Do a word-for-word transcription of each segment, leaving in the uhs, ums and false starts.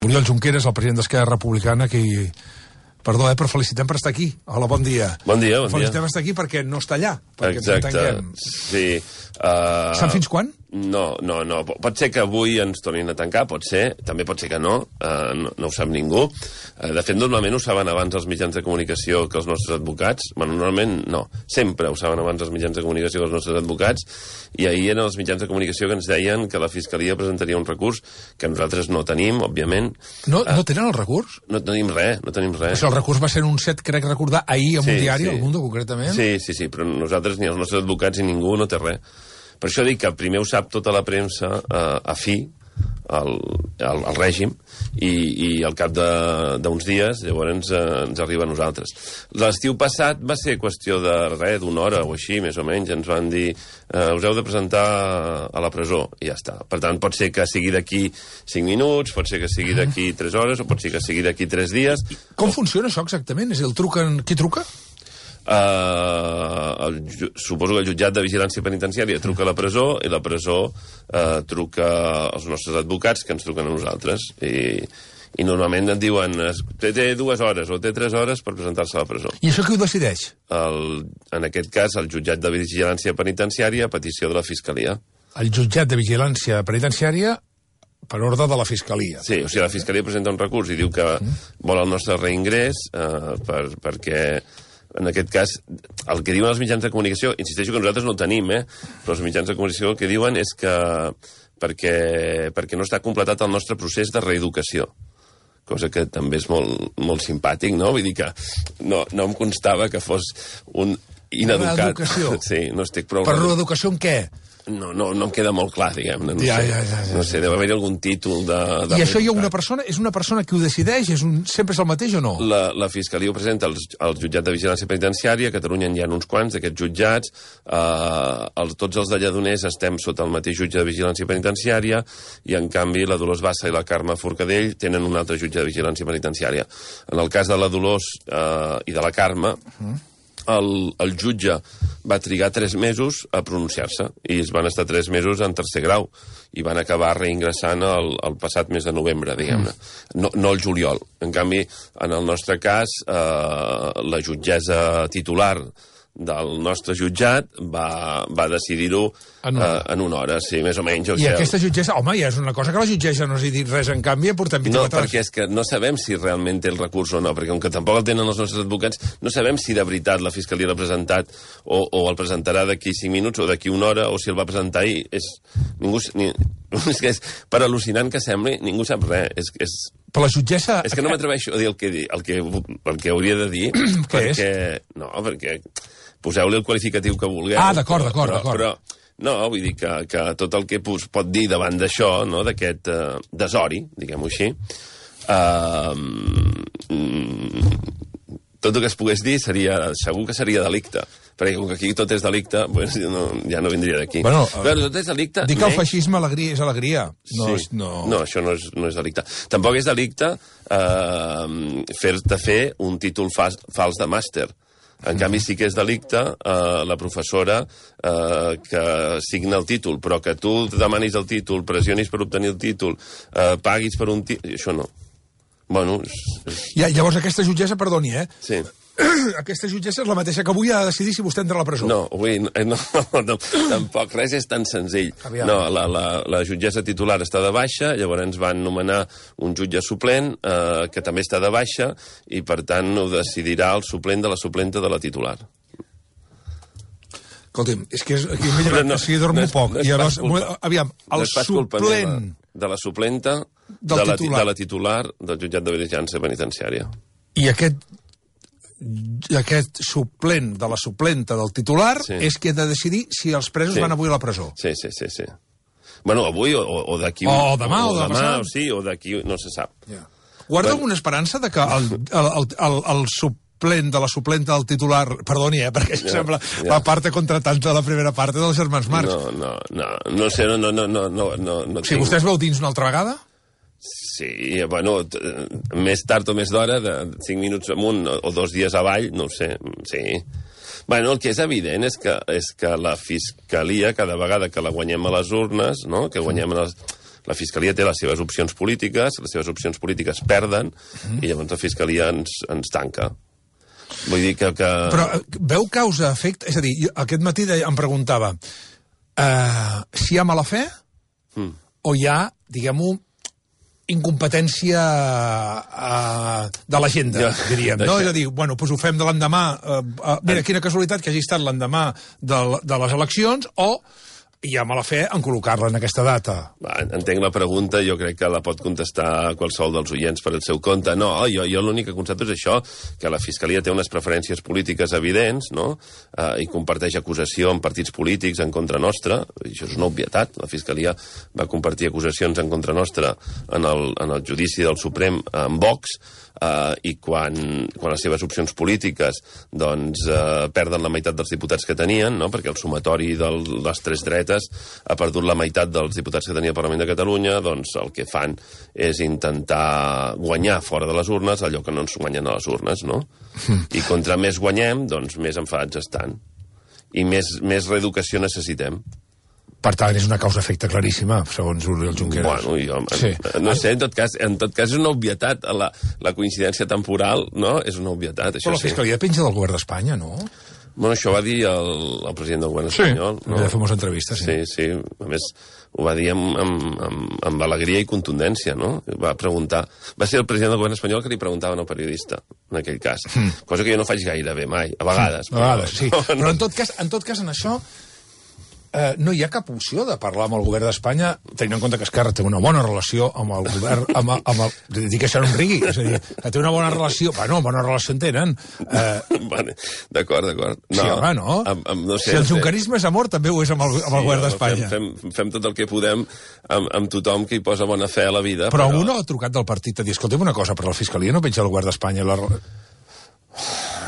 Oriol Junqueras, el president d'Esquerra Republicana, que... Perdó, eh, però felicitem per estar aquí. Hola, bon dia. Bon dia, bon dia. Felicitem per estar aquí perquè no està allà. Perquè exacte, sí. Uh... Saps fins quan? No, no, no. Pot ser que avui ens tornin a tancar, pot ser. També pot ser que no. Uh, no, no ho sap ningú. Uh, de fet, normalment ho saben abans els mitjans de comunicació que els nostres advocats. Bueno, normalment no. Sempre ho saben abans els mitjans de comunicació que els nostres advocats. I ahir eren els mitjans de comunicació que ens deien que la Fiscalia presentaria un recurs que nosaltres no tenim, òbviament. No, uh, no tenen el recurs? No tenim res, no tenim res. Això, el recurs va ser anunciat, crec recordar, ahir en sí, un diari, sí. El Mundo, concretament. Sí, sí, sí, però nosaltres, ni els nostres advocats, ni ningú no té res. Per això dic que primer ho sap tota la premsa eh, a fi, al, al, al règim, i, i al cap d'uns dies llavors ens, eh, ens arriba a nosaltres. L'estiu passat va ser qüestió de res, d'una hora o així, més o menys, ens van dir eh, us heu de presentar a la presó, i ja està. Per tant, pot ser que sigui d'aquí cinc minuts, pot ser que sigui d'aquí tres hores, o pot ser que sigui d'aquí tres dies. Com o... funciona això exactament? És el truquen... Qui truca? Uh, el, suposo que el jutjat de vigilància penitenciària truca a la presó i la presó uh, truca als nostres advocats que ens truquen a nosaltres i, i normalment et diuen té, té dues hores o té tres hores per presentar-se a la presó. I això qui ho decideix? El, en aquest cas el jutjat de vigilància penitenciària a petició de la Fiscalia. El jutjat de vigilància penitenciària per ordre de la Fiscalia. Sí, o sigui, la Fiscalia presenta un recurs i diu que mm. vol el nostre reingrés uh, per, perquè en aquest cas, el que diuen els mitjans de comunicació, insisteixo que nosaltres no ho tenim, eh? Però els mitjans de comunicació el que diuen és que perquè, perquè no està completat el nostre procés de reeducació. Cosa que també és molt, molt simpàtic, no? Vull dir que no, no em constava que fos un ineducat. Reeducació? Sí, no estic prou... Per reeducació en què? No, no, no em queda molt clar, diguem-ne. No, ja, sé, ja, ja, ja. no sé, deu haver-hi algun títol de... de I això hi ha una persona? És una persona que ho decideix? És un, sempre és el mateix o no? La, la Fiscalia ho presenta al, al jutjat de vigilància penitenciària, a Catalunya hi ha uns quants d'aquests jutjats, eh, els, tots els de Lledoners estem sota el mateix jutge de vigilància penitenciària, i en canvi la Dolors Bassa i la Carme Forcadell tenen un altre jutge de vigilància penitenciària. En el cas de la Dolors eh, i de la Carme... Uh-huh. El, el jutge va trigar tres mesos a pronunciar-se i es van estar tres mesos en tercer grau i van acabar reingressant el, el passat mes de novembre, diguem-ne. No, no el juliol. En canvi, en el nostre cas, eh, la jutgessa titular del nostre jutjat va, va decidir-ho en, uh, en una hora, sí, més o menys. O I sigui, aquesta jutgessa, home, ja és una cosa que la jutgessa no s'hi dit res, en canvi, portem vint-i-quatre hores. No, perquè és que no sabem si realment té el recurs o no, perquè com que tampoc el tenen els nostres advocats, no sabem si de veritat la Fiscalia l'ha presentat o, o el presentarà d'aquí cinc minuts o d'aquí una hora, o si el va presentar ahir. És, ningú, ni, és que és, per al·lucinant que sembli, ningú sap res. És, és, però la jutgessa... És que no m'atreveixo a dir el que, el que, el que hauria de dir. Què perquè, és? No, perquè... Poseu-li el qualificatiu que vulgueu. Ah, d'acord, d'acord, d'acord. Però, no, vull dir que, que tot el que es pot dir davant d'això, no, d'aquest uh, desori, diguem-ho així, uh, mm, tot el que es pogués dir seria, segur que seria delicte. Perquè com que aquí tot és delicte, pues, no, ja no vindria d'aquí. Bueno, però tot és delicte... Dic que el feixisme alegria, és alegria. No, sí. és, no... no, això no és, no és delicte. Tampoc és delicte uh, fer-te fer un títol fals, fals de màster. En canvi, sí que és delicte eh, la professora eh, que signa el títol, però que tu demanis el títol, pressionis per obtenir el títol, eh, paguis per un títol... Això no. Bueno... És... Ja, llavors aquesta jutgessa, perdoni, eh? Sí. Aquesta jutgessa és la mateixa que avui ha de decidir si vostè entra a la presó. No, avui no, no, no, tampoc, res és tan senzill. Aviam. No, la, la, la jutgessa titular està de baixa, llavors ens van nomenar un jutge suplent, eh, que també està de baixa, i per tant ho decidirà el suplent de la suplenta de la titular. Escolti'm, és que és, aquí m'he llevat, no, si dormo no és, poc. No és I llavors, culpa, aviam, el no suplent... De la suplenta del de, la, titular. de la titular del jutjat de vigilància penitenciària. I aquest... aquest suplent de la suplenta del titular sí. és qui ha de decidir si els presos sí. van avui a la presó. Sí, sí, sí, sí. Bueno, avui o, o d'aquí... O demà, o, o demà, o sí, o d'aquí, no se sap. Yeah. Guarda bueno. alguna esperança de que el, el, el, el, el suplent de la suplenta del titular... Perdoni, eh, perquè això yeah, sembla yeah. la part contratante de la primera part dels germans Marx. No, no, no, no sé, no, no, no, no, no, no si vostè es veu dins una altra vegada? Sí, bueno, més tard o més d'hora, de cinc minuts amunt o dos dies avall, no ho sé, sí. Bueno, el que és evident és que, és que la Fiscalia, cada vegada que la guanyem a les urnes, no?, que guanyem a les... La Fiscalia té les seves opcions polítiques, les seves opcions polítiques perden, mm. i llavors la Fiscalia ens, ens tanca. Vull dir que... que... Però veu causa-efecte? És a dir, aquest matí em preguntava uh, si hi ha mala fe mm. o hi ha, diguem-ho, incompetència uh, de l'agenda, ja, diríem. No? És a dir, bueno, doncs ho fem de l'endemà. Uh, uh, mira, quina casualitat que hagi estat l'endemà de, de les eleccions, o hi ha mala fe en col·locar-la en aquesta data. Va, entenc la pregunta, jo crec que la pot contestar qualsevol dels oients per el seu compte. No, jo, jo l'únic que constato és això, que la Fiscalia té unes preferències polítiques evidents, no? Uh, i comparteix acusació en partits polítics en contra nostra, i això és una obvietat. La Fiscalia va compartir acusacions en contra nostra en el, en el judici del Suprem amb Vox, Uh, i quan, quan les seves opcions polítiques doncs, uh, perden la meitat dels diputats que tenien, no? Perquè el sumatori de les tres dretes ha perdut la meitat dels diputats que tenia el Parlament de Catalunya, doncs el que fan és intentar guanyar fora de les urnes allò que no ens guanyen a les urnes, no? Mm. I contra més guanyem, doncs més enfadats estan. I més, més reeducació necessitem. Per tant, és una causa-efecte claríssima, segons Oriol Junqueras. Bueno, jo, sí. no sé, en tot cas, en tot cas és una obvietat. La, la coincidència temporal, no?, és una obvietat. Això Però la Fiscalia sí. penja del govern d'Espanya, no? Bueno, això va dir el, el president del govern sí. espanyol. Sí, no? Va fer moltes entrevistes, sí. Sí, sí. A més, ho va dir amb, amb, amb, amb alegria i contundència, no? Va preguntar... Va ser el president del govern espanyol que li preguntava al periodista, en aquell cas. Mm. Cosa que jo no faig gaire bé, mai. A vegades. Mm. A vegades, però, sí. No, però en tot cas, en tot cas, en això... Uh, no hi ha cap opció de parlar amb el govern d'Espanya, tenint en compte que Esquerra té una bona relació amb el govern, amb el, amb el, dic que això no em rigui, és a dir, que té una bona relació, bueno, bona relació en tenen. Uh, vale, d'acord, d'acord. No, sí, home, no? Amb, amb, no sé, si el junquerisme és amor, també ho és amb el, amb el sí, govern d'Espanya. Fem, fem, fem tot el que podem amb, amb tothom que hi posa bona fe a la vida. Però, però... algú no ha trucat del partit a dir, escolta'm una cosa, però la Fiscalia no penja el govern d'Espanya la...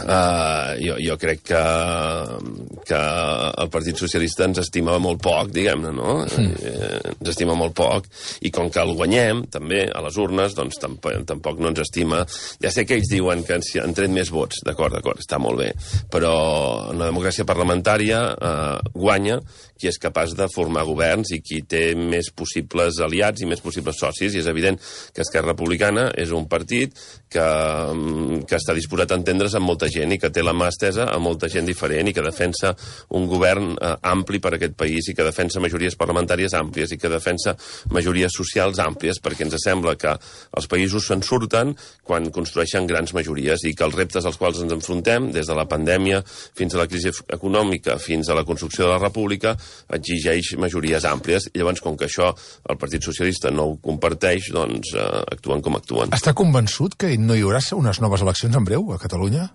Uh, jo, jo crec que, que el Partit Socialista ens estima molt poc, diguem-ne, no? Mm. Eh, ens estima molt poc, i com que el guanyem, també, a les urnes, doncs tampoc, tampoc no ens estima. Ja sé que ells diuen que ens han tret més vots, d'acord, d'acord, està molt bé, però en la democràcia parlamentària eh, guanya qui és capaç de formar governs i qui té més possibles aliats i més possibles socis, i és evident que Esquerra Republicana és un partit que, que està disposat a entendre's amb molta gent i que té la mà estesa a molta gent diferent i que defensa un govern eh, ampli per a aquest país i que defensa majories parlamentàries àmplies i que defensa majories socials àmplies, perquè ens sembla que els països se'n surten quan construeixen grans majories i que els reptes als quals ens enfrontem, des de la pandèmia fins a la crisi econòmica, fins a la construcció de la república, exigeix majories àmplies, i llavors, com que això el Partit Socialista no ho comparteix, doncs eh, actuen com actuen. Està convençut que no hi haurà unes noves eleccions en breu a Catalunya?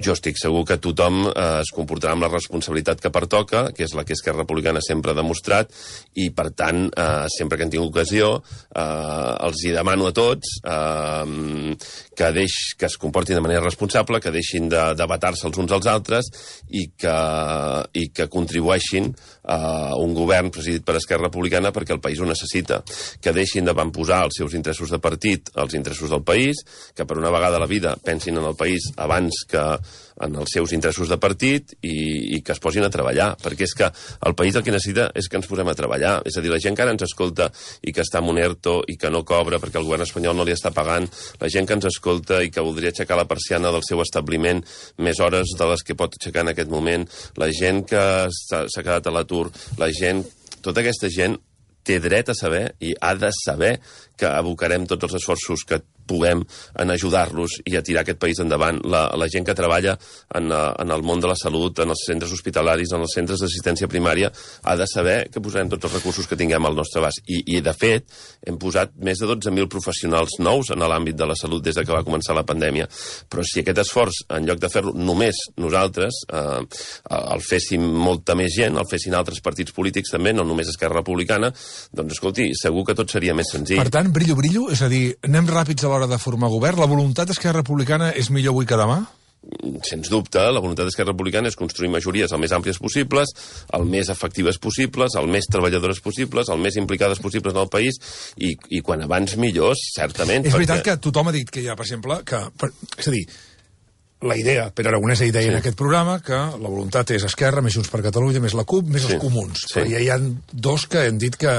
Jo estic segur que tothom eh, es comportarà amb la responsabilitat que pertoca, que és la que Esquerra Republicana sempre ha demostrat, i per tant, eh, sempre que en tinc ocasió, eh, els hi demano a tots eh, que, deix, que es comportin de manera responsable, que deixin de debatar-se els uns als altres i que, i que contribueixin a un govern presidit per Esquerra Republicana perquè el país ho necessita, que deixin de posar els seus interessos de partit als interessos del país, que per una vegada a la vida pensin en el país abans que en els seus interessos de partit i, i que es posin a treballar, perquè és que el país el que necessita és que ens posem a treballar. És a dir, la gent que ara ens escolta i que està en un ERTO i que no cobra perquè el govern espanyol no li està pagant, la gent que ens escolta i que voldria aixecar la persiana del seu establiment més hores de les que pot aixecar en aquest moment, la gent que s'ha quedat a l'atur, la gent, tota aquesta gent té dret a saber i ha de saber que abocarem tots els esforços que puguem en ajudar-los i a tirar aquest país endavant. La, la gent que treballa en, en el món de la salut, en els centres hospitalaris, en els centres d'assistència primària, ha de saber que posarem tots els recursos que tinguem al nostre abast. I, i de fet, hem posat més de dotze mil professionals nous en l'àmbit de la salut des de que va començar la pandèmia. Però si aquest esforç, en lloc de fer-lo només nosaltres, eh, el féssim molta més gent, el fessin altres partits polítics també, no només Esquerra Republicana, doncs, escolti, segur que tot seria més senzill. Per tant, brillo, brillo, és a dir, anem ràpids a l'hora de formar govern. La voluntat d'Esquerra Republicana és millor avui que demà? Sens dubte, la voluntat d'Esquerra Republicana és construir majories el més àmplies possibles, el més efectives possibles, el més treballadores possibles, el més implicades possibles en el país, i, i quan abans millors, certament. És veritat perquè... que tothom ha dit que hi ha, per exemple, que... Per, és a dir, la idea, Pere Aragonès ha dit sí. en aquest programa que la voluntat és Esquerra, més Junts per Catalunya, més la CUP, més sí. els comuns. Sí. Però ja hi ha dos que han dit que...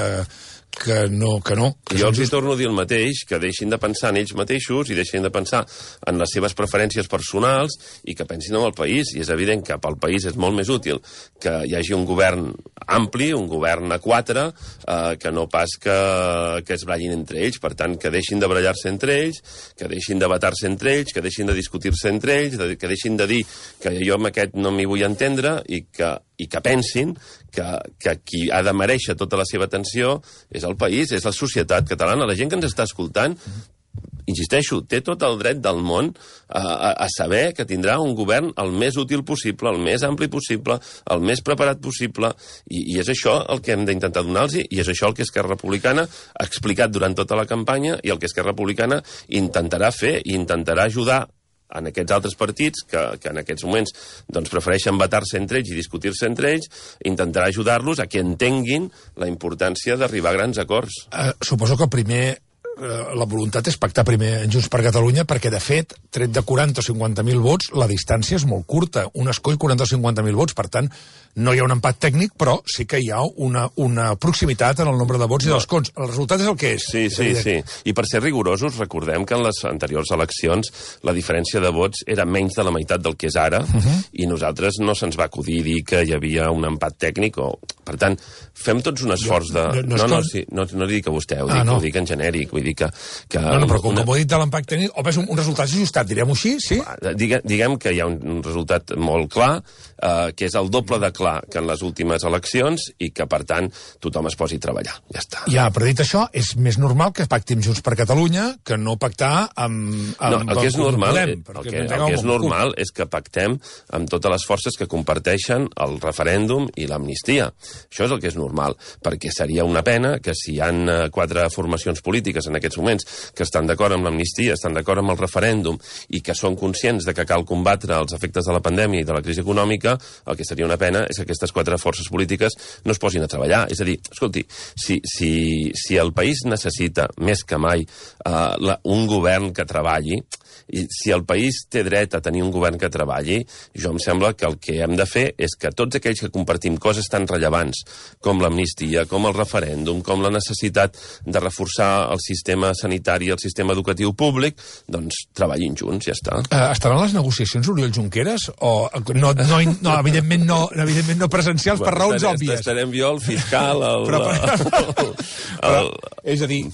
que no. Que no que jo els hi torno a dir el mateix, que deixin de pensar en ells mateixos i deixin de pensar en les seves preferències personals i que pensin en el país. I és evident que pel país és molt més útil que hi hagi un govern ampli, un govern a quatre, eh, que no pas que, que es ballin entre ells. Per tant, que deixin de barallar-se entre ells, que deixin de batar-se entre ells, que deixin de discutir-se entre ells, que deixin de dir que jo amb aquest no m'hi vull entendre i que, i que pensin que, que qui ha de mereixer tota la seva atenció és el país, és la societat catalana. La gent que ens està escoltant, insisteixo, té tot el dret del món a, a, a saber que tindrà un govern el més útil possible, el més ampli possible, el més preparat possible, i, i és això el que hem d'intentar donar-los, i és això el que Esquerra Republicana ha explicat durant tota la campanya i el que Esquerra Republicana intentarà fer i intentarà ajudar en aquests altres partits que, que en aquests moments doncs, prefereixen batar-se entre ells i discutir-se entre ells, intentarà ajudar-los a que entenguin la importància d'arribar a grans acords. Uh, suposo que primer la voluntat és pactar primer en Junts per Catalunya, perquè, de fet, tret de quaranta o cinquanta mil vots, la distància és molt curta. Un escó i quaranta o cinquanta mil vots, per tant, no hi ha un empat tècnic, però sí que hi ha una, una proximitat en el nombre de vots i dels escons. El resultat és el que és. Sí, sí, sí. I per ser rigorosos, recordem que en les anteriors eleccions la diferència de vots era menys de la meitat del que és ara, uh-huh. i nosaltres no se'ns va acudir dir que hi havia un empat tècnic. O... Per tant, fem tots un esforç de... No, no, no, no, sí, no, no dic a vostè, ho dic, ah, no. ho dic en genèric, vull dir que... que no, no, però com, una... com ho he dit de l'empat tècnic, o és un, un resultat ajustat, direm-ho així, sí? Digue, diguem que hi ha un, un resultat molt clar, eh, que és el doble de clar que en les últimes eleccions, i que, per tant, tothom es posi a treballar. Ja està. Ja, però dit això, és més normal que pacti amb Junts per Catalunya que no pactar amb... amb no, el que és normal, podem, el que, el que és normal és que pactem amb totes les forces que comparteixen el referèndum i l'amnistia. Això és el que és normal, perquè seria una pena que si hi ha quatre formacions polítiques en aquests moments que estan d'acord amb l'amnistia, estan d'acord amb el referèndum i que són conscients de que cal combatre els efectes de la pandèmia i de la crisi econòmica, el que seria una pena és que aquestes quatre forces polítiques no es posin a treballar. És a dir, escolti, si, si, si el país necessita més que mai eh, la, un govern que treballi, i si el país té dret a tenir un govern que treballi, jo em sembla que el que hem de fer és que tots aquells que compartim coses tan rellevants com l'amnistia, com el referèndum, com la necessitat de reforçar el sistema sanitari i el sistema educatiu públic, doncs treballin junts, ja està. Uh, estaran les negociacions Oriol Junqueras? O no, no, no, evidentment, no evidentment no presencials per raons estarem, òbvies? Estarem jo, el fiscal, el... Però, el, el, el és a dir...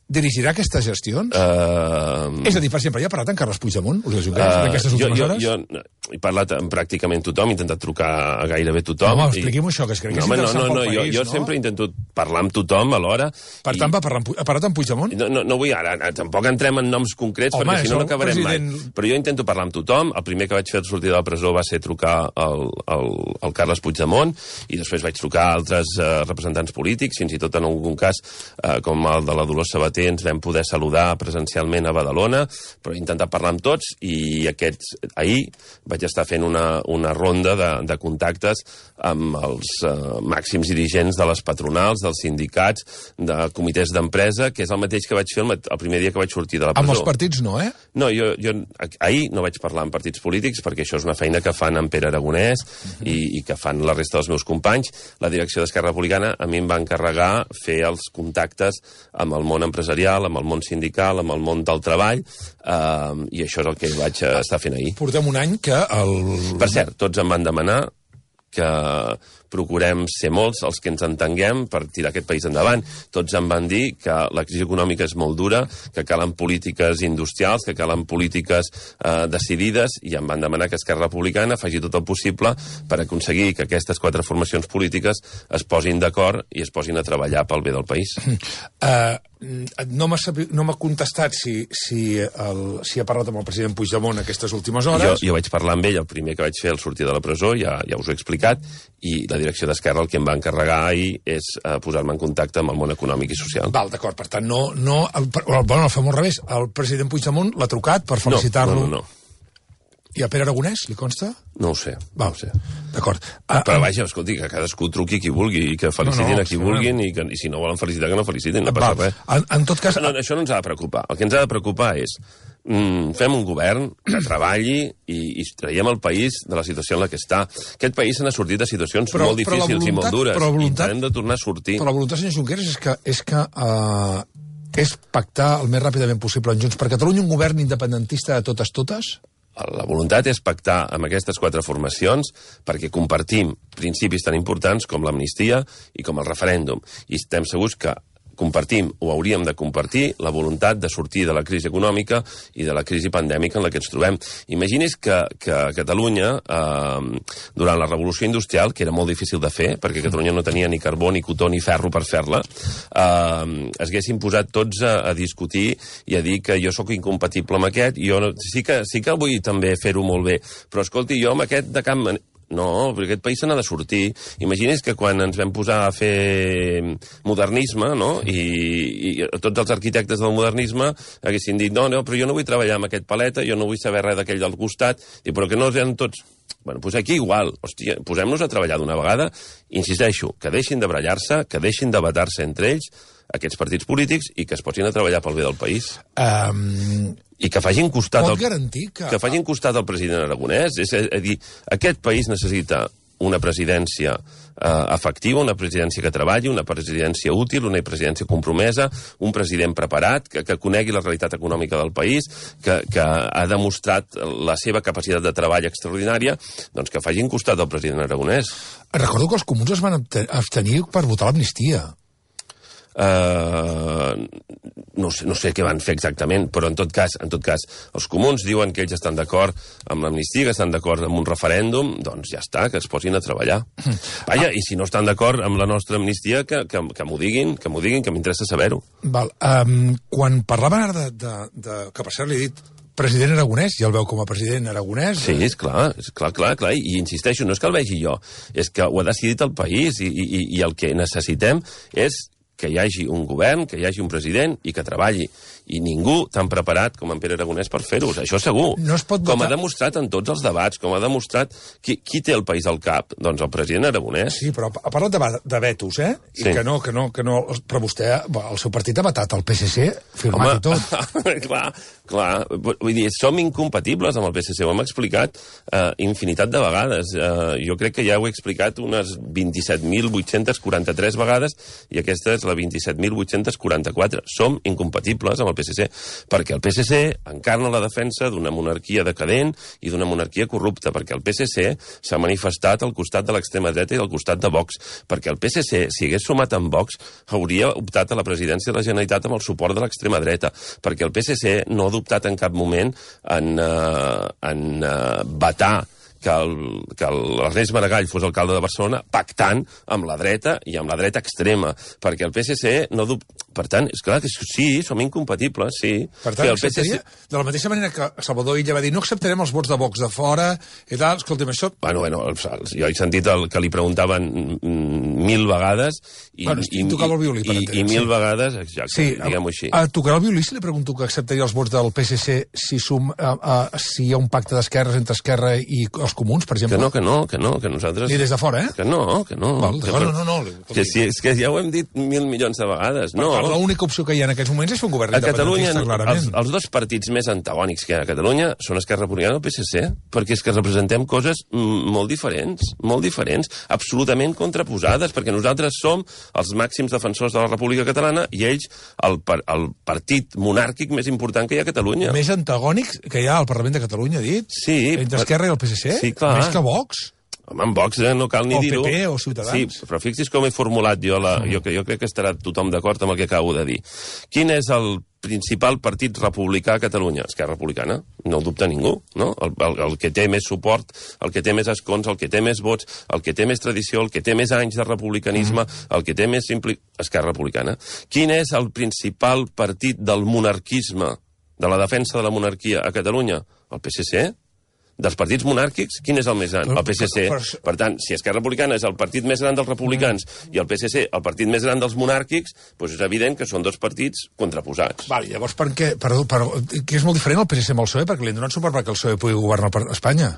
Dirigirà aquestes gestions? Uh... És a dir, per exemple, ja ha parlat amb Carles Puigdemont, Oriol Junqueras, uh, en aquestes últimes jo, hores? Jo, jo he parlat amb pràcticament tothom, he intentat trucar a gairebé tothom. No, home, expliqui'm i... això, que es crec que no, és interessant no, no, pel no, país, jo, jo no? sempre intento parlar amb tothom alhora. Per i... tant, va parlar amb, ha parlat amb Puigdemont? No, no, no vull ara, tampoc entrem en noms concrets, home, perquè si no no acabarem president... mai. Però jo intento parlar amb tothom. El primer que vaig fer al sortir de la presó va ser trucar al, al, al Carles Puigdemont, i després vaig trucar a altres uh, representants polítics, fins i tot en algun cas, uh, com el de la Dolors Sabater, ens vam poder saludar presencialment a Badalona, però he intentat parlar amb tots, i aquests, ahir vaig estar fent una, una ronda de, de contactes amb els uh, màxims dirigents de les patronals, dels sindicats, de comitès d'empresa, que és el mateix que vaig fer el, el primer dia que vaig sortir de la presó. Amb els partits no, eh? No, jo, jo ahir no vaig parlar amb partits polítics, perquè això és una feina que fan en Pere Aragonès uh-huh. i, i que fan la resta dels meus companys. La direcció d'Esquerra Republicana a mi em va encarregar fer els contactes amb el món empresarial, amb el món sindical, amb el món del treball, eh, i això és el que vaig estar fent ahir. Portem un any que el... Per cert, tots em van demanar que procurem ser molts els que ens entenguem per tirar aquest país endavant. Tots em van dir que la crisi econòmica és molt dura, que calen polítiques industrials, que calen polítiques eh, decidides, i em van demanar que Esquerra Republicana faci tot el possible per aconseguir que aquestes quatre formacions polítiques es posin d'acord i es posin a treballar pel bé del país. Uh, no m'ha no contestat si, si, el, si ha parlat amb el president Puigdemont aquestes últimes hores. Jo, jo vaig parlar amb ell, el primer que vaig fer al sortir de la presó, ja, ja us ho he explicat, i la direcció d'Esquerra el que em va encarregar ahir és uh, posar-me en contacte amb el món econòmic i social. Val, d'acord, per tant, no... no el, bueno, el fem al revés. El president Puigdemont l'ha trucat per felicitar-lo... No, no, no. I a Pere Aragonès, li consta? No ho sé. Val, no ho sé. D'acord. Uh, Però vaja, escolti, que cadascú truqui qui vulgui i que felicitin no, no, a qui vulguin i, que, i si no volen felicitar, que no felicitin, no passa res. En, en tot cas... No, això no ens ha de preocupar. El que ens ha de preocupar és mm, fem un govern que treballi i, i traiem el país de la situació en la que està. Aquest país se n'ha sortit de situacions però, molt difícils voluntat, i molt dures. Voluntat, i hem de tornar a sortir. Però la voluntat, senyor Junqueras, és que, és que uh, és pactar el més ràpidament possible en Junts per Catalunya un govern independentista de totes totes? La voluntat és pactar amb aquestes quatre formacions perquè compartim principis tan importants com l'amnistia i com el referèndum. I estem segurs que compartim, o hauríem de compartir, la voluntat de sortir de la crisi econòmica i de la crisi pandèmica en la que ens trobem. Imagini's que, que a Catalunya, eh, durant la revolució industrial, que era molt difícil de fer, perquè Catalunya no tenia ni carbó, ni cotó, ni ferro per fer-la, eh, es haguessin posat tots a, a discutir i a dir que jo sóc incompatible amb aquest, i jo no, sí, que, sí que vull també fer-ho molt bé, però escolti, jo amb aquest de cap manera... No, perquè aquest país se n'ha de sortir. Imagini's que quan ens vam posar a fer modernisme, no?, i, i tots els arquitectes del modernisme haguessin dit, no, no, però jo no vull treballar amb aquest paleta, jo no vull saber res d'aquell del costat, i però que no eren tots... Bueno, doncs aquí igual, hòstia, posem-nos a treballar d'una vegada, insisteixo, que deixin de barallar-se, que deixin de batar-se entre ells, aquests partits polítics, i que es posin a treballar pel bé del país. Um... I que facin costat... Pot el, garantir que... Que facin costat al president Aragonès. És a, a dir, aquest país necessita una presidència eh, efectiva, una presidència que treballi, una presidència útil, una presidència compromesa, un president preparat, que, que conegui la realitat econòmica del país, que, que ha demostrat la seva capacitat de treball extraordinària, doncs que facin costat al president Aragonès. Recordo que els comuns es van abstenir per votar l'amnistia. Uh, no sé, no sé què van fer exactament, però en tot cas, en tot cas, els comuns diuen que ells estan d'acord amb l'amnistia, que estan d'acord amb un referèndum, doncs ja està, que es posin a treballar. Vaja, i si no estan d'acord amb la nostra amnistia, que, que, que m'ho diguin, que m'ho diguin, que m'interessa saber-ho. Val, um, quan parlaven ara de, de, de... que per cert li he dit president Aragonès, ja el veu com a president Aragonès. Sí, és clar, és clar, clar, clar, i insisteixo, no és que el vegi jo, és que ho ha decidit el país, i, i, i el que necessitem és que hi hagi un govern, que hi hagi un president i que treballi. I ningú tan preparat com en Pere Aragonès per fer-ho, això segur. No es pot votar... Com ha demostrat en tots els debats, com ha demostrat... Qui, qui té el país al cap? Doncs el president Aragonès. Sí, però ha parlat de, de vetos, eh? I sí. que no, que no, que no... Però vostè, el seu partit ha vetat el P S C, firmat Home, i tot. clar, clar. Vull dir, som incompatibles amb el P S C, ho hem explicat eh, infinitat de vegades. Eh, jo crec que ja ho he explicat unes vint-i-set mil vuit-cents quaranta-tres vegades i aquesta és la vint-i-set mil vuit-cents quaranta-quatre. Som incompatibles amb el P S C, perquè el P S C encarna la defensa d'una monarquia decadent i d'una monarquia corrupta, perquè el P S C s'ha manifestat al costat de l'extrema dreta i al costat de Vox, perquè el P S C, si hagués sumat amb Vox, hauria optat a la presidència de la Generalitat amb el suport de l'extrema dreta, perquè el P S C no ha optat en cap moment en, uh, en uh, vetar que el, que l'Ernest Maragall fos alcalde de Barcelona pactant amb la dreta i amb la dreta extrema, perquè el P S C no dub... Per tant, és clar que sí, som incompatibles, sí. Per tant, el P S C... de la mateixa manera que Salvador Illa va dir no acceptarem els vots de Vox de fora i tal, escolta'm, això... Bueno, bueno, jo he sentit el que li preguntaven mil vegades i, bueno, i, tocava el violí, per i, entendre, i mil sí. vegades, exacte, sí, diguem-ho així. A, a tocarà el violí si li pregunto que acceptaria els vots del P S C si, sum, a, a, si hi ha un pacte d'esquerres entre Esquerra i els comuns, per exemple? Que no, que no, que no, que nosaltres... Ni des de fora, eh? Que no, que no. Val, que no, no, no, no. Que si, és que ja ho hem dit mil milions de vegades, no. L'única opció que hi ha en aquests moments és fer un govern a Catalunya, clarament. Els, els dos partits més antagònics que hi ha a Catalunya són Esquerra Republicana i el P S C, perquè és que representem coses molt diferents, molt diferents, absolutament contraposades, perquè nosaltres som els màxims defensors de la República Catalana i ells el, el partit monàrquic més important que hi ha a Catalunya. Més antagònics que hi ha al Parlament de Catalunya, dit? Sí. Entre Esquerra i el P S C? Sí, clar. Més que Vox? Home, en Vox eh, no cal ni dir-ho. O P P o Ciutadans. Sí, però fixi's com he formulat jo, la, jo, jo crec que estarà tothom d'acord amb el que acabo de dir. Quin és el principal partit republicà a Catalunya? Esquerra Republicana, no ho dubta ningú, no? El, el, el que té més suport, el que té més escons, el que té més vots, el que té més tradició, el que té més anys de republicanisme, mm. el que té més impli... Esquerra Republicana. Quin és el principal partit del monarquisme, de la defensa de la monarquia a Catalunya? El P S C? Dels partits monàrquics, quin és el més gran? El P S C. Per tant, si Esquerra Republicana és el partit més gran dels republicans i el P S C el partit més gran dels monàrquics, doncs és evident que són dos partits contraposats. Val, llavors per què? Perdó, però, que és molt diferent el P S C amb el P S O E, perquè li han donat suport perquè el P S O E pugui governar per Espanya.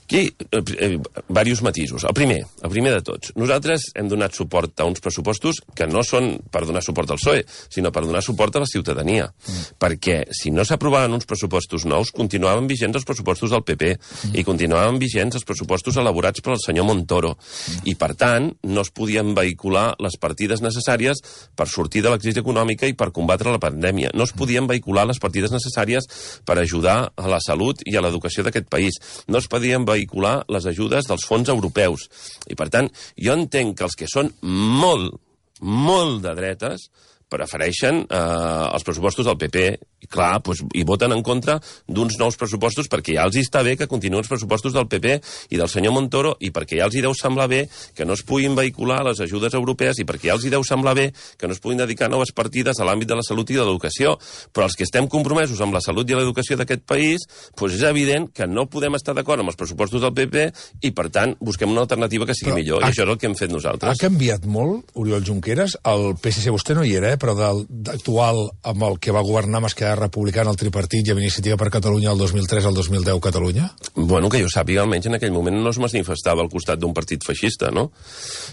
Aquí, eh, eh, diversos matisos. El primer, el primer de tots. Nosaltres hem donat suport a uns pressupostos que no són per donar suport al P S O E, sinó per donar suport a la ciutadania. Mm. Perquè si no s'aprovaven uns pressupostos nous, continuaven vigents els pressupostos del P P mm. i continuaven vigents els pressupostos elaborats pel senyor Montoro. Mm. I, per tant, no es podien vehicular les partides necessàries per sortir de la crisi econòmica i per combatre la pandèmia. No es podien vehicular les partides necessàries per ajudar a la salut i a l'educació d'aquest país. No es podien vehicular les ajudes dels fons europeus. I, per tant, jo entenc que els que són molt, molt de dretes prefereixen eh, els pressupostos del P P i, clar, doncs, i voten en contra d'uns nous pressupostos perquè ja els està bé que continuïn els pressupostos del P P i del senyor Montoro i perquè ja els hi deu semblar bé que no es puguin vehicular les ajudes europees i perquè ja els hi deu semblar bé que no es puguin dedicar noves partides a l'àmbit de la salut i de l'educació. Però els que estem compromesos amb la salut i l'educació d'aquest país, doncs és evident que no podem estar d'acord amb els pressupostos del P P i, per tant, busquem una alternativa que sigui Però millor. Ha, I això és el que hem fet nosaltres. Ha canviat molt, Oriol Junqueras? El P S C, vostè no hi era, eh? Però d'actual amb el que va governar amb Esquerra Republicana, el tripartit i amb Iniciativa per Catalunya el dos mil tres al dos mil deu Catalunya? Bueno, que jo sàpiga, almenys en aquell moment no es manifestava al costat d'un partit feixista, no?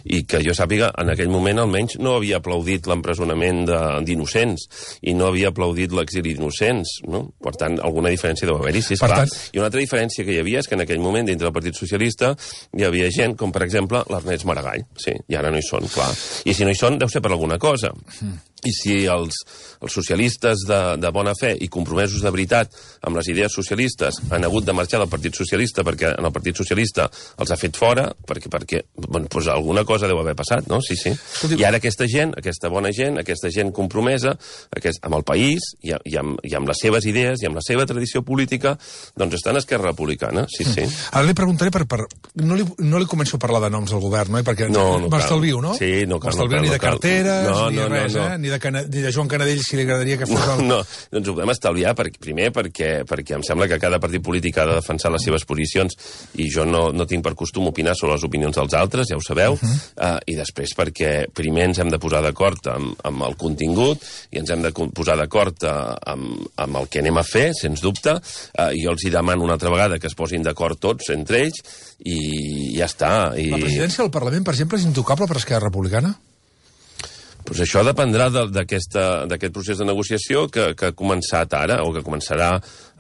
I que jo sàpiga, en aquell moment almenys no havia aplaudit l'empresonament d'innocents i no havia aplaudit l'exili d'innocents, no? Per tant, alguna diferència deu haver-hi, sí, esclar. Tant... I una altra diferència que hi havia és que en aquell moment, dintre del Partit Socialista, hi havia gent com, per exemple, l'Ernest Maragall, sí, i ara no hi són, clar. I si no hi són, deu ser per alguna cosa. Mm. I si els, els socialistes de, de bona fe i compromesos de veritat amb les idees socialistes han hagut de marxar del Partit Socialista perquè en el Partit Socialista els ha fet fora, perquè, perquè bueno, doncs alguna cosa deu haver passat, no? Sí, sí. I ara aquesta gent, aquesta bona gent, aquesta gent compromesa aquest, amb el país i, i, amb, i amb les seves idees i amb la seva tradició política, doncs estan a Esquerra Republicana, sí, sí. Ara li preguntaré per... per no, li, no li començo a parlar de noms al govern, no? Perquè no, no m'estalvio, no? Sí, no cal. M'estalvio no ni de carteres, no, ni no, res, no, no. eh? Ni de, Cana ni de Joan Canadell, si li agradaria que fos... No, el... no, doncs ho podem estalviar, per, primer perquè, perquè em sembla que cada partit polític ha de defensar les seves posicions i jo no, no tinc per costum opinar sobre les opinions dels altres, ja ho sabeu, uh -huh. uh, i després perquè primer ens hem de posar d'acord amb, amb el contingut i ens hem de posar d'acord uh, amb, amb el que anem a fer, sens dubte, uh, i jo els hi demano una altra vegada que es posin d'acord tots entre ells i ja està. I... La presidència del Parlament, per exemple, és intocable per Esquerra Republicana? Pues això dependrà d'aquest procés de negociació que, que ha començat ara, o que començarà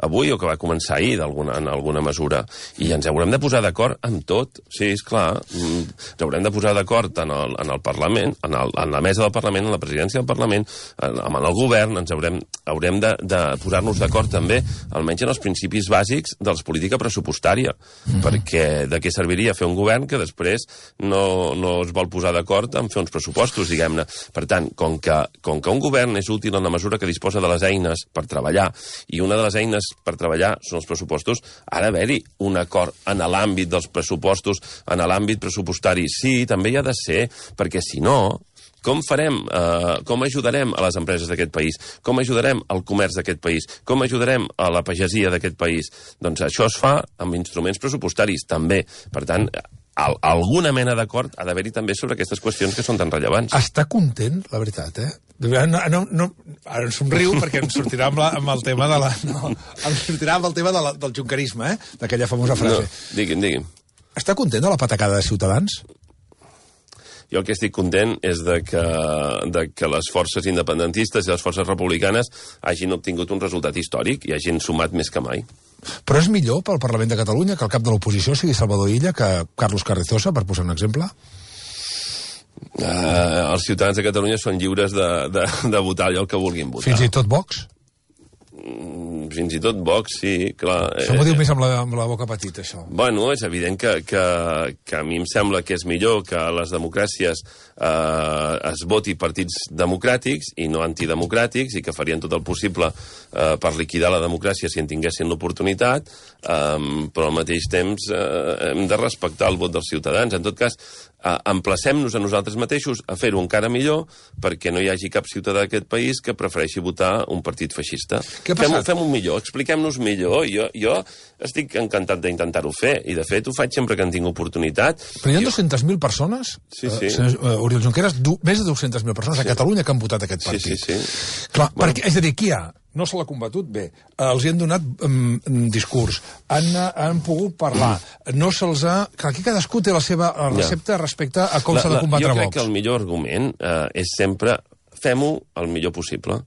avui, o que va començar ahir, alguna, en alguna mesura. I ens haurem de posar d'acord amb tot. Sí, és clar. Ens haurem de posar d'acord en, el, en el Parlament, en, el, en la mesa del Parlament, en la presidència del Parlament, en, en el govern. Ens haurem, haurem de, de posar-nos d'acord també, almenys en els principis bàsics de la política pressupostària. Mm-hmm. Perquè de què serviria fer un govern que després no, no es vol posar d'acord en fer uns pressupostos, diguem-ne. Per tant, com que, com que un govern és útil en la mesura que disposa de les eines per treballar, i una de les eines per treballar són els pressupostos, ha d'haver-hi un acord en l'àmbit dels pressupostos, en l'àmbit pressupostari. Sí, també hi ha de ser, perquè si no, com farem, eh, com ajudarem a les empreses d'aquest país? Com ajudarem al comerç d'aquest país? Com ajudarem a la pagesia d'aquest país? Doncs això es fa amb instruments pressupostaris, també. Per tant, Al, alguna mena d'acord ha d'haver-hi també sobre aquestes qüestions que són tan rellevants. Està content, la veritat, eh? No, no, no, ara em somriu perquè em sortirà amb, la, amb el tema de la... No, em sortirà amb el tema de la, del junquerisme, eh? D'aquella famosa frase. No, digui'm, digui'm. Està content de la patacada de Ciutadans? Jo el que estic content és de que, de que les forces independentistes i les forces republicanes hagin obtingut un resultat històric i hagin sumat més que mai. Però és millor pel Parlament de Catalunya que el cap de l'oposició sigui Salvador Illa que Carlos Carrizosa, per posar un exemple? Uh, els ciutadans de Catalunya són lliures de, de, de votar allò que vulguin votar. Fins i tot Vox? Mm, fins i tot Vox, sí, clar. Això m'ho diu més amb la, amb la boca petita, això. Bueno, és evident que, que, que a mi em sembla que és millor que a les democràcies eh, es voti partits democràtics i no antidemocràtics i que farien tot el possible eh, per liquidar la democràcia si en tinguessin l'oportunitat, eh, però al mateix temps eh, hem de respectar el vot dels ciutadans. En tot cas, eh, emplacem-nos a nosaltres mateixos a fer-ho encara millor perquè no hi hagi cap ciutadà d'aquest país que prefereixi votar un partit feixista. Fem-ho fem millor, expliquem-nos millor. Jo, jo estic encantat d'intentar-ho fer, i de fet ho faig sempre que en tinc oportunitat. Però hi ha dues-centes mil persones, sí, sí. Uh, uh, Oriol Junqueras, du més de dues-centes mil persones a Catalunya que han votat aquest partit. Sí, sí, sí. Clar, bueno. perquè, és a dir, qui hi ha? no se l'ha combatut bé, els hi han donat um, discurs, han, han pogut parlar, no se'ls ha... Clar, aquí cadascú té la seva recepta respecte a com s'ha de combatre Vox. Jo crec que el millor argument eh, és sempre fem-ho el millor possible.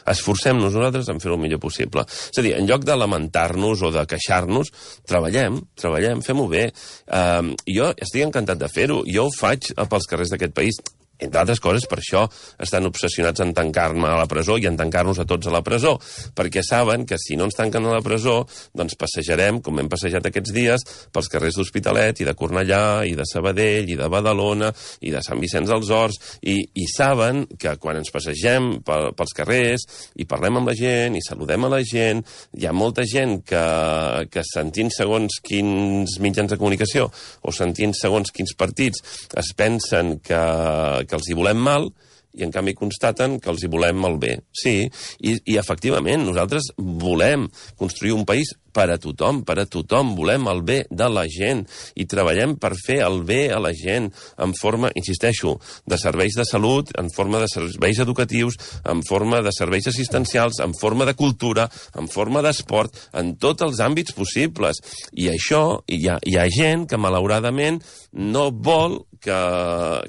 Esforcem-nos nosaltres en fer-ho el millor possible. És a dir, en lloc de lamentar-nos o de queixar-nos, treballem, treballem, fem-ho bé. Uh, jo estic encantat de fer-ho. Jo ho faig pels carrers d'aquest país. Entre altres coses, per això estan obsessionats en tancar-me a la presó i en tancar-nos a tots a la presó, perquè saben que si no ens tanquen a la presó, doncs passejarem, com hem passejat aquests dies, pels carrers d'Hospitalet i de Cornellà i de Sabadell i de Badalona i de Sant Vicenç dels Horts, i, i saben que quan ens passegem pels carrers i parlem amb la gent i saludem a la gent, hi ha molta gent que, que sentint segons quins mitjans de comunicació o sentint segons quins partits es pensen que que els hi volem mal, i en canvi constaten que els hi volem el bé. Sí, i, i efectivament, nosaltres volem construir un país per a tothom, per a tothom, volem el bé de la gent i treballem per fer el bé a la gent en forma, insisteixo, de serveis de salut, en forma de serveis educatius, en forma de serveis assistencials, en forma de cultura, en forma d'esport, en tots els àmbits possibles. I això, hi ha, hi ha gent que malauradament no vol que,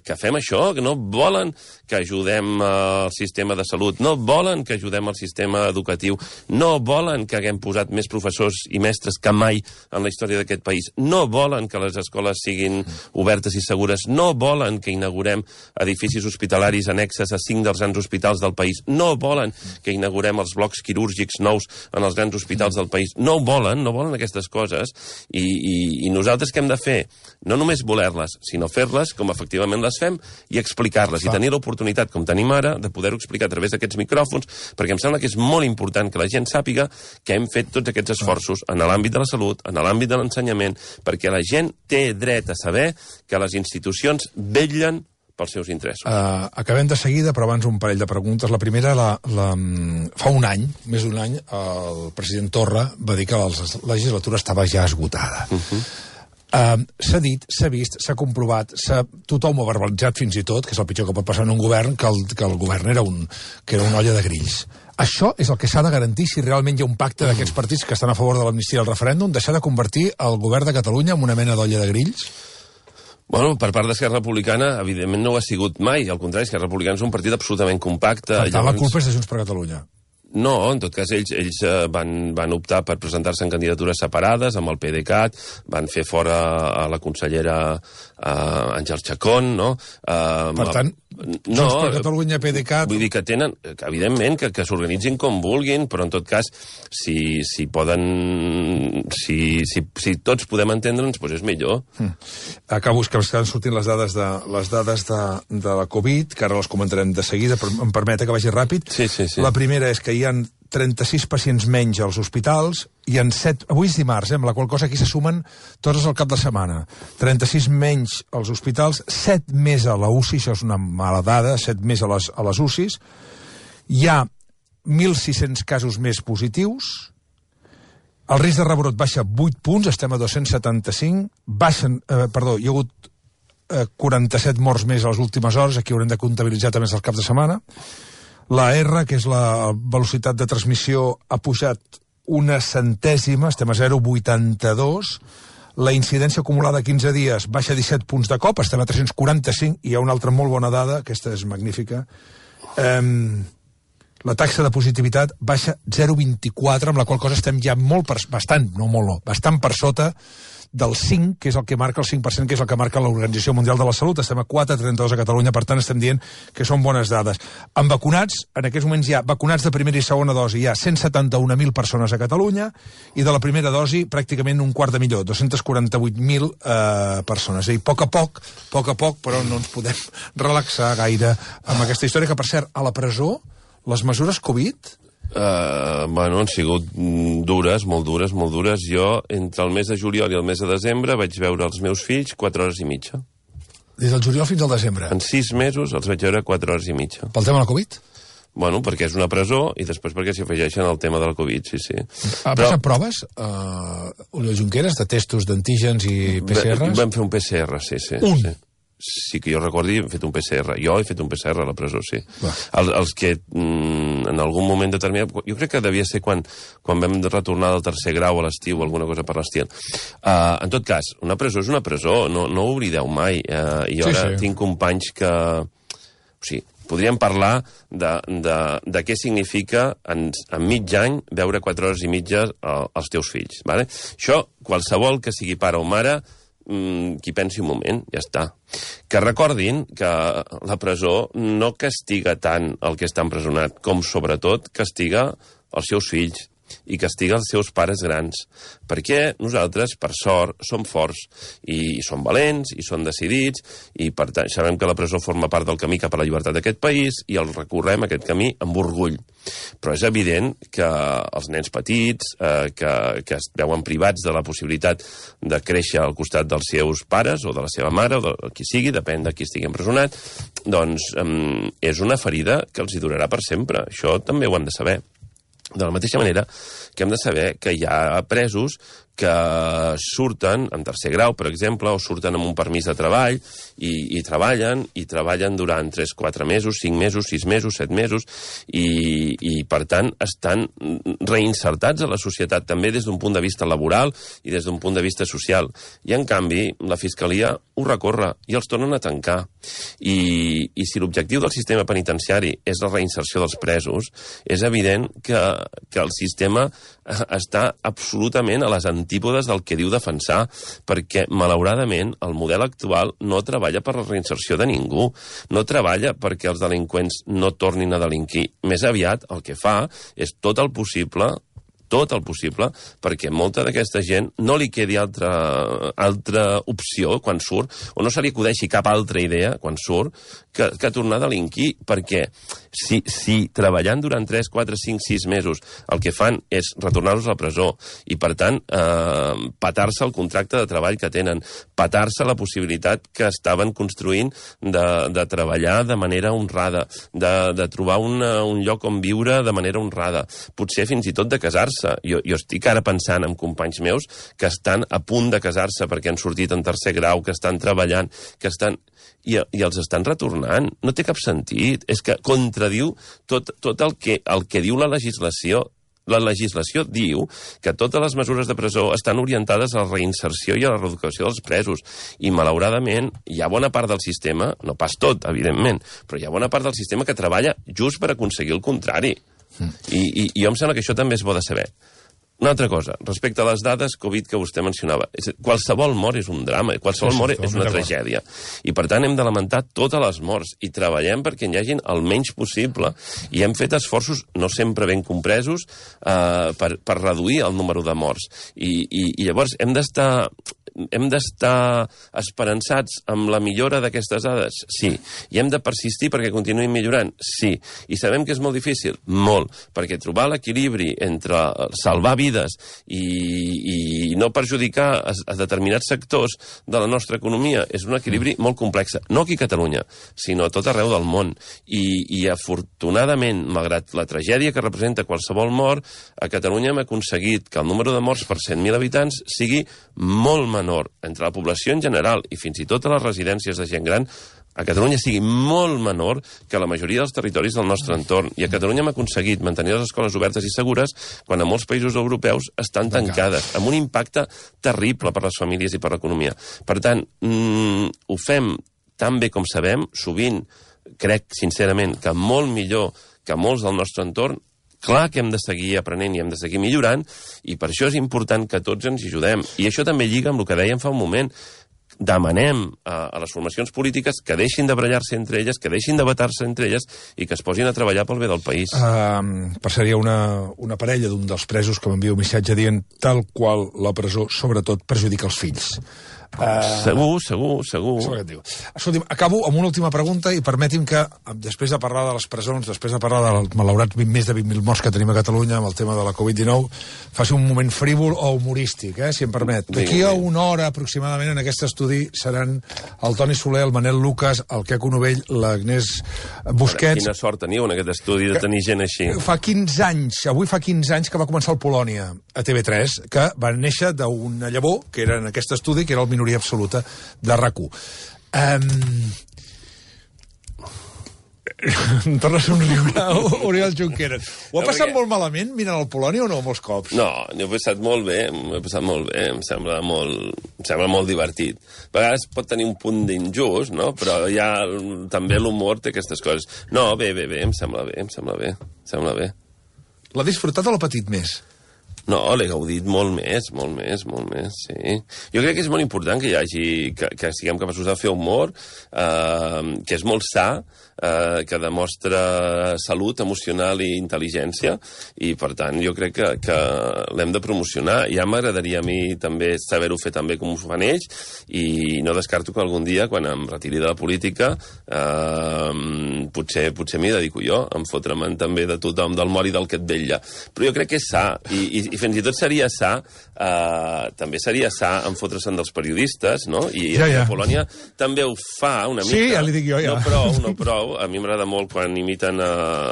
que fem això, que no volen que ajudem al sistema de salut, no volen que ajudem al sistema educatiu, no volen que haguem posat més professors i mestres que mai en la història d'aquest país, no volen que les escoles siguin obertes i segures, no volen que inaugurem edificis hospitalaris annexes a cinc dels grans hospitals del país, no volen que inaugurem els blocs quirúrgics nous en els grans hospitals del país, no volen, no volen aquestes coses, i, i, i nosaltres què hem de fer? No només voler-les, sinó fer-les com efectivament les fem i explicar-les, i tenir l'oportunitat, com tenim ara, de poder-ho explicar a través d'aquests micròfons, perquè em sembla que és molt important que la gent sàpiga que hem fet tots aquests esforços en l'àmbit de la salut, en l'àmbit de l'ensenyament, perquè la gent té dret a saber que les institucions vetllen pels seus interessos. Uh, acabem de seguida, però abans un parell de preguntes. La primera, la, la, fa un any, més d'un any, el president Torra va dir que la legislatura estava ja esgotada. Uh-huh. Uh, s'ha dit, s'ha vist, s'ha comprovat, tothom ho ha verbalitzat fins i tot, que és el pitjor que pot passar en un govern, que el, que el govern era, un, que era una olla de grills. Això és el que s'ha de garantir si realment hi ha un pacte d'aquests partits que estan a favor de l'amnistia del referèndum, deixar de convertir el govern de Catalunya en una mena d'olla de grills? Bueno, per part d'Esquerra Republicana, evidentment no ho ha sigut mai. Al contrari, Esquerra Republicana és un partit absolutament compacte. Per tant, llavors... la culpa és de Junts per Catalunya. No, en tot cas, ells, ells van, van optar per presentar-se en candidatures separades amb el PDeCAT, van fer fora a la consellera uh, Àngels Chacón, no? Uh, per tant, no, Junts per Catalunya, PDeCAT... Vull dir que tenen, que, evidentment, que, que s'organitzin com vulguin, però en tot cas, si, si poden... Si, si, si tots podem entendre'ns, doncs és millor. Mm. Acabo, que estan sortint les dades de, les dades de, de la Covid, que ara les comentarem de seguida, però em permet que vagi ràpid. Sí, sí, sí. La primera és que hi ha trenta-sis pacients menys als hospitals, i en set... Avui és dimarts, eh, amb la qual cosa aquí se sumen tots al cap de setmana. trenta-sis menys als hospitals, set més a la U C I, això és una mala dada, set més a les, a les U C Is. Hi ha mil sis-cents casos més positius, el risc de rebrot baixa vuit punts, estem a dos-cents setanta-cinc, baixen, eh, perdó, hi ha hagut eh, quaranta-set morts més a les últimes hores, aquí haurem de comptabilitzar també el cap de setmana. La R, que és la velocitat de transmissió, ha pujat una centèsima, estem a zero coma vuitanta-dos. La incidència acumulada a quinze dies baixa disset punts de cop, estem a tres-cents quaranta-cinc, i hi ha una altra molt bona dada, aquesta és magnífica. Um, la taxa de positivitat baixa zero coma vint-i-quatre, amb la qual cosa estem ja molt per, bastant, no molt, no, bastant per sota del cinc, que és el que marca el cinc per cent, que és el que marca l'Organització Mundial de la Salut. Estem a quatre coma trenta-dos a Catalunya, per tant estem dient que són bones dades. En vacunats, en aquests moments hi ha vacunats de primera i segona dosi, hi ha cent setanta-un mil persones a Catalunya, i de la primera dosi pràcticament un quart de milió, dos-cents quaranta-vuit mil eh, persones. És a dir, a poc a poc, a poc a poc, però no ens podem relaxar gaire amb aquesta història, que per cert, a la presó, les mesures Covid... Uh, bueno, han sigut dures, molt dures, molt dures. Jo, entre el mes de juliol i el mes de desembre, vaig veure els meus fills quatre hores i mitja. Des del juliol fins al desembre? En sis mesos els vaig veure quatre hores i mitja. Pel tema de la Covid? Bueno, perquè és una presó i després perquè s'hi afegeixen el tema de la Covid, sí, sí. Ha Però... passat proves, uh, Oriol Junqueras, de testos d'antígens i P C Rs? Vam fer un P C R, sí, sí. Un? Sí. sí que jo recordi, hem fet un P C R. Jo he fet un P C R a la presó, sí. El, els que mm, en algun moment determinat... Jo crec que devia ser quan, quan vam retornar del tercer grau a l'estiu o alguna cosa per l'estil. Uh, en tot cas, una presó és una presó, no, no ho oblideu mai. Uh, I ara sí, sí. tinc companys que... O sigui, podríem parlar de, de, de què significa en, en mig any veure quatre hores i mitja als teus fills. Vale? Això, qualsevol que sigui pare o mare, qui pensi un moment, ja està. Que recordin que la presó no castiga tant el que està empresonat, com sobretot castiga els seus fills i castiga els seus pares grans. Perquè nosaltres, per sort, som forts i som valents i som decidits i, per tant, sabem que la presó forma part del camí cap a la llibertat d'aquest país i el recorrem aquest camí amb orgull. Però és evident que els nens petits, eh, que, que es veuen privats de la possibilitat de créixer al costat dels seus pares o de la seva mare o de qui sigui, depèn de qui estigui empresonat, doncs eh, és una ferida que els hi durarà per sempre. Això també ho han de saber. De la mateixa manera que hem de saber que hi ha presos que surten en tercer grau, per exemple, o surten amb un permís de treball i, i treballen, i treballen durant tres quatre mesos, cinc mesos, sis mesos, set mesos, i, i per tant estan reinsertats a la societat també des d'un punt de vista laboral i des d'un punt de vista social. I, en canvi, la Fiscalia ho recorre i els tornen a tancar. I, i si l'objectiu del sistema penitenciari és la reinserció dels presos, és evident que, que el sistema està absolutament a les antípodes del que diu defensar, perquè, malauradament, el model actual no treballa per la reinserció de ningú, no treballa perquè els delinqüents no tornin a delinquir. Més aviat, el que fa és tot el possible tot el possible, perquè molta d'aquesta gent no li quedi altra, altra opció quan surt, o no se li acudeixi cap altra idea quan surt, que, que tornar a delinquir, perquè si, si treballant durant tres, quatre, cinc, sis mesos el que fan és retornar-los a la presó i, per tant, eh, patar-se el contracte de treball que tenen, patar-se la possibilitat que estaven construint de, de treballar de manera honrada, de, de trobar una, un lloc on viure de manera honrada, potser fins i tot de casar-se. Jo, jo estic ara pensant en companys meus que estan a punt de casar-se perquè han sortit en tercer grau, que estan treballant, que estan... I, i els estan retornant. No té cap sentit. És que contradiu tot, tot el, que, el que diu la legislació. La legislació diu que totes les mesures de presó estan orientades a la reinserció i a la reeducació dels presos. I, malauradament, hi ha bona part del sistema, no pas tot, evidentment, però hi ha bona part del sistema que treballa just per aconseguir el contrari. I, i, i jo em sembla que això també és bo de saber. Una altra cosa, respecte a les dades Covid que vostè mencionava, és, qualsevol mort és un drama, qualsevol sí, sí, mort és una tragèdia. I, per tant, hem de lamentar totes les morts i treballem perquè hi hagin el menys possible. I hem fet esforços, no sempre ben compresos, eh, per, per reduir el número de morts. I, i, i llavors hem d'estar... hem d'estar esperançats amb la millora d'aquestes dades? Sí. I hem de persistir perquè continuïn millorant? Sí. I sabem que és molt difícil? Molt. Perquè trobar l'equilibri entre salvar vides i, i no perjudicar a, a determinats sectors de la nostra economia és un equilibri molt complex. No aquí a Catalunya, sinó a tot arreu del món. I, i afortunadament, malgrat la tragèdia que representa qualsevol mort, a Catalunya hem aconseguit que el número de morts per cent mil habitants sigui molt menor entre la població en general i fins i tot a les residències de gent gran, a Catalunya sigui molt menor que la majoria dels territoris del nostre entorn. I a Catalunya hem aconseguit mantenir les escoles obertes i segures quan a molts països europeus estan tancades, amb un impacte terrible per les famílies i per l'economia. Per tant, mmm, ho fem tan bé com sabem, sovint crec sincerament que molt millor que molts del nostre entorn. Clar que hem de seguir aprenent i hem de seguir millorant, i per això és important que tots ens ajudem. I això també lliga amb el que dèiem fa un moment. Demanem a, a les formacions polítiques que deixin de barallar-se entre elles, que deixin de batar-se entre elles i que es posin a treballar pel bé del país. Uh, passaria una, una parella d'un dels presos que m'envia un missatge dient tal qual la presó, sobretot, perjudica els fills. Uh, segur, segur, segur. Escolti'm, acabo amb una última pregunta i permeti'm que, després de parlar de les presons, després de parlar dels malaurats més de vint mil morts que tenim a Catalunya amb el tema de la Covid dinou, faci un moment frívol o humorístic, eh, si em permet. D'aquí a una hora aproximadament en aquest estudi seran el Toni Soler, el Manel Lucas, el Queco Novell, l'Agnès Busquets... Quina sort teniu en aquest estudi de tenir gent així. Fa quinze anys, avui fa quinze anys que va començar el Polònia a T V tres, que va néixer d'una llavor, que era en aquest estudi, que era el minoria absoluta de RAC u. Um... Em torna a somriure Oriol Junqueras. Ho ha No, passat perquè- molt malament mirant el Polònia o no, molts cops? No, n'he passat molt bé, m'he passat molt bé, em sembla molt, em sembla molt divertit. A vegades pot tenir un punt d'injust, no? Però ja també l'humor té aquestes coses. No, bé, bé, bé, em sembla bé, em sembla bé, em sembla bé. L'ha disfrutat o l'ha patit més? No, l'he gaudit molt més, molt més, molt més, sí. Jo crec que és molt important que hi hagi, que, que siguem capaços de fer humor, eh, que és molt sa, eh, que demostra salut emocional i intel·ligència, i per tant jo crec que, que l'hem de promocionar. Ja m'agradaria a mi també saber-ho fer també com ho fan ells, i no descarto que algun dia, quan em retiri de la política, eh, potser, potser m'hi dedico jo, em fotre'm també de tothom, del mort i del que et vetlla. Però jo crec que és sa, i, i, i fins i tot seria sa, eh, també seria sa en fotre-se'n dels periodistes, no? I ja, ja. a Polònia també ho fa una mica. Sí, ja li dic jo, ja. No prou, no prou. A mi m'agrada molt quan imiten a,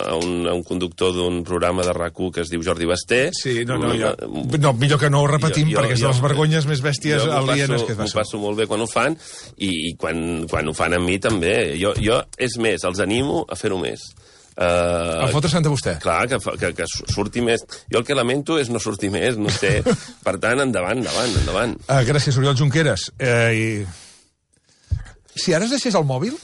a, un, a un conductor d'un programa de RAC u que es diu Jordi Basté. Sí, no, no, jo, no millor que no ho repetim, jo, jo, perquè és de les vergonyes més bèsties alienes que es m'ho passen. passo molt bé quan ho fan, i, i quan, quan ho fan amb mi també. Jo, jo, és més, els animo a fer-ho més. Uh, a fotre-se'n de vostè. Clar, que, que, que surti més. Jo el que lamento és no sortir més, no sé. Per tant, endavant, endavant, endavant. Uh, gràcies, Oriol Junqueras. Uh, i... Si ara es deixés el mòbil,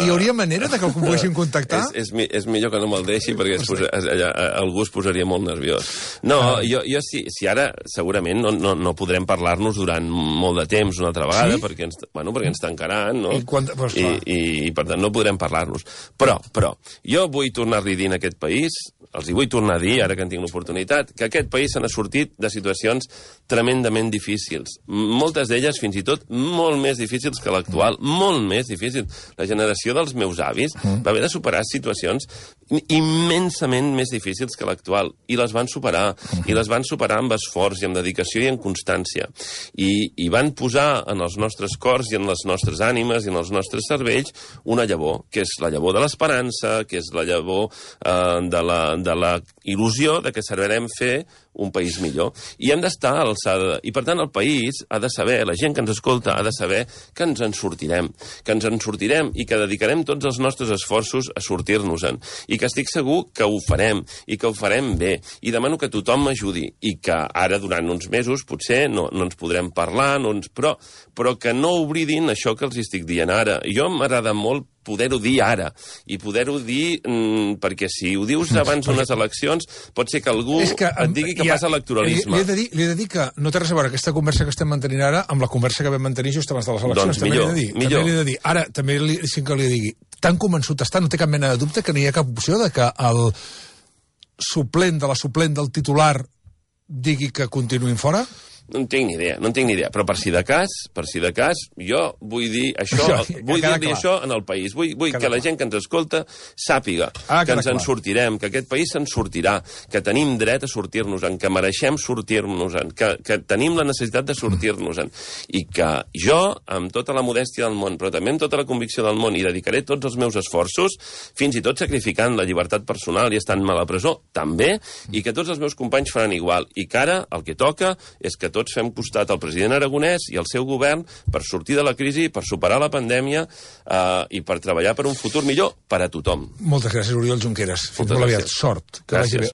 hi hauria manera de que el poguéssim contactar? És, és, mi- és millor que no me'l deixi, perquè es posa, es, allà, algú es posaria molt nerviós. No, Ah. jo, jo si, si ara segurament no, no, no podrem parlar-nos durant molt de temps una altra vegada, Sí? perquè, ens, bueno, perquè ens tancaran, no? I quan- pues, I, clar. i, i per tant no podrem parlar-nos. Però, però, jo vull tornar-li a dir en aquest país, els hi vull tornar a dir, ara que en tinc l'oportunitat, que aquest país se n'ha sortit de situacions tremendament difícils. Moltes d'elles, fins i tot, molt més difícils que l'actual, molt més difícils. La generació dels meus avis Mm. va haver de superar situacions immensament més difícils que l'actual, i les van superar, i les van superar amb esforç i amb dedicació i en constància. I, i van posar en els nostres cors i en les nostres ànimes i en els nostres cervells una llavor, que és la llavor de l'esperança, que és la llavor eh, de, la, de la il·lusió de que servirem fer un país millor. I hem d'estar a l'alçada. I, per tant, el país ha de saber, la gent que ens escolta ha de saber que ens en sortirem, que ens en sortirem i que dedicarem tots els nostres esforços a sortir-nos-en. I que estic segur que ho farem, i que ho farem bé. I demano que tothom m'ajudi. I que ara, durant uns mesos, potser no, no ens podrem parlar, no ens... però, però que no oblidin això que els estic dient ara. Jo m'agrada molt poder-ho dir ara, i poder-ho dir mmm, perquè si ho dius abans d'unes eleccions, pot ser que algú És que, et digui que ja, passa electoralisme. Li, li, he de dir, li he de dir que no té res a veure aquesta conversa que estem mantenint ara amb la conversa que vam mantenir just abans de les eleccions. Doncs també millor, li he de dir, millor. També li he de dir. Ara, també li, sí que li he de dir, tan convençut està, no té cap mena de dubte que no hi ha cap opció de que el suplent de la suplent del titular digui que continuïn fora? No en tinc ni idea, no en tinc ni idea. Però per si de cas, per si de cas, jo vull dir això, Això, vull queda dir-li clar. això en el país. Vull, vull Queda que la clar. gent que ens escolta sàpiga Ah, que queda ens en clar. sortirem, que aquest país se'n sortirà, que tenim dret a sortir-nos-en, que mereixem sortir-nos-en, que, que tenim la necessitat de sortir-nos-en. I que jo, amb tota la modèstia del món, però també amb tota la convicció del món, hi dedicaré tots els meus esforços, fins i tot sacrificant la llibertat personal i estant mal a presó, també, i que tots els meus companys faran igual. I que ara el que toca és que tots fem costat al president Aragonès i al seu govern per sortir de la crisi, per superar la pandèmia eh, i per treballar per un futur millor per a tothom. Moltes gràcies, Oriol Junqueras. Fins Moltes molt aviat. gràcies. Sort. Que Gràcies. vagi bé.